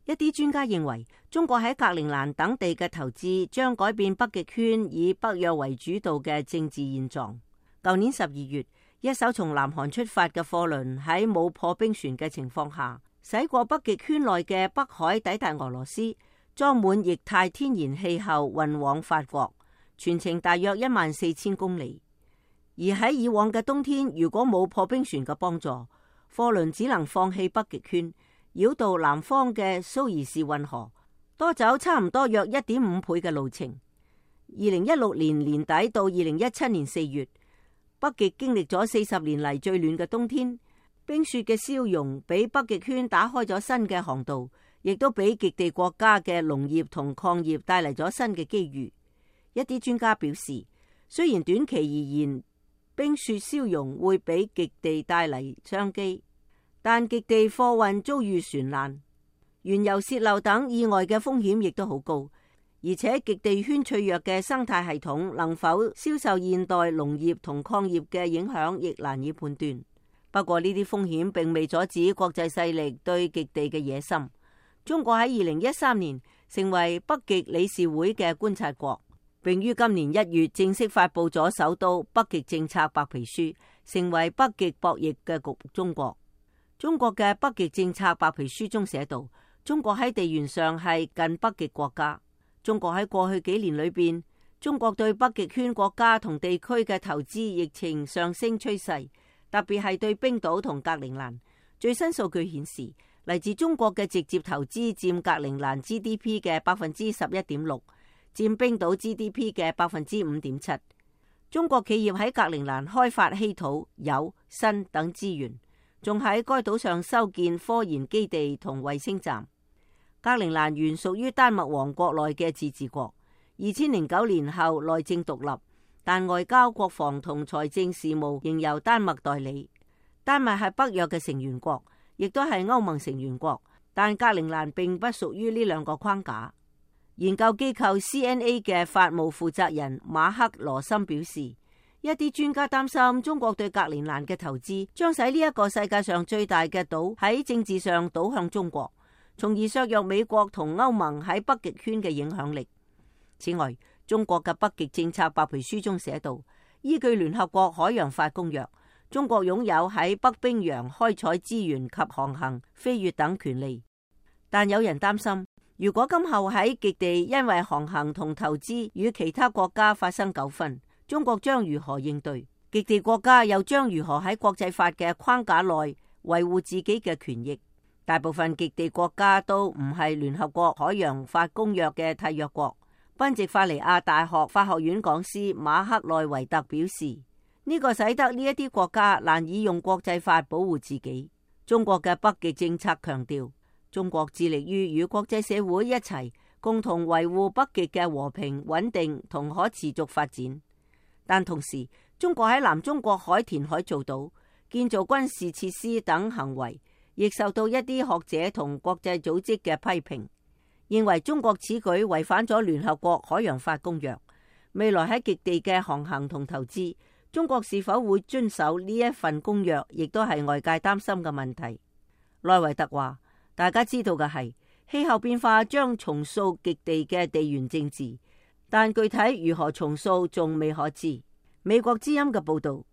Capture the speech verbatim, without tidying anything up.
一啲專家認為，中國喺格陵蘭等地嘅投資將改變北極圈以北約為主導嘅政治現狀。舊年十二月，一艘從南韓出發嘅貨輪喺冇破冰船嘅情況下，駛過北極圈內嘅北海，抵達俄羅斯，裝滿液態天然氣後運往法國，全程大約一萬四千公里。而喺以往嘅冬天，如果冇破冰船嘅幫助，貨輪只能放棄北極圈，繞道南方嘅蘇伊士運河，多走差唔多約一點五倍嘅路程。二零一六年年底到二零一七年四月，北極經歷咗四十年嚟最暖嘅冬天，冰雪嘅消融俾北極圈打開咗新嘅航道，亦都俾極地國家嘅農業同礦業帶嚟咗新嘅機遇。一啲專家表示，雖然短期而言，冰雪消融會俾極地帶嚟商機，但極地貨運遭遇船難、原油洩漏等意外嘅風險亦都好高，而且極地圈脆弱嘅生態系統能否消受現代農業同礦業嘅影響，亦難以判斷。不過呢啲風險並未阻止國際勢力對極地嘅野心。中國喺二零一三年成為北極理事會嘅觀察國，並於今年一月正式發布咗首都北極政策白皮書，成為北極博弈嘅局中國。中國嘅北極政策白皮書中寫道，中國喺地緣上係近北極國家。中國喺過去幾年裏邊，中國對北極圈國家同地區嘅投資疫情上升趨勢，特別係對冰島同格陵蘭。最新數據顯示，嚟自中國嘅直接投資佔格陵蘭 G D P 嘅百分之十一點六。佔冰島 G D P 嘅百分之五點七。中國企業喺格陵蘭開發稀土、鈾、砷等資源，仲喺該島上修建科研基地同衛星站。格陵蘭原屬於丹麥王國內嘅自治國，二千零九年後內政獨立，但外交、國防同財政事務仍由丹麥代理。丹麥係北約嘅成員國，亦都係歐盟成員國，但格陵蘭並不屬於呢兩個框架。研究機構 C N A 嘅法務負責人馬克羅森表示，一啲專家擔心中國對格陵蘭嘅投資將使呢一個世界上最大嘅島喺政治上倒向中國，從而削弱美國同歐盟喺北極圈嘅影響力。此外，中國嘅北極政策白皮書中寫道，依據聯合國海洋法公約，中國擁有喺北冰洋開採資源及航行、飛越等權利。但有人擔心，如果今後喺極地因為航行同投資與其他國家發生糾紛，中國將如何應對？極地國家又將如何喺國際法嘅框架內維護自己嘅權益？大部分極地國家都唔係聯合國海洋法公約嘅締約國。賓夕法尼亞大學法學院講師馬克內維特表示，呢個使得呢一啲國家難以用國際法保護自己。中國嘅北極政策強調，中國致力於與國際社會一齊共同維護北極嘅和平穩定同可持續發展，但同時中國喺南中國海填海造島、建造軍事設施等行為亦受到一啲學者同國際組織嘅批評，認為中國此舉違反咗聯合國海洋法公約。未來喺極地嘅航行同投資，中國是否會遵守呢一份公約，亦都係外界擔心嘅問題。內維特話，大家知道嘅係，氣候變化將重塑極地嘅地緣政治，但具體如何重塑仲未可知。美國之音嘅報道，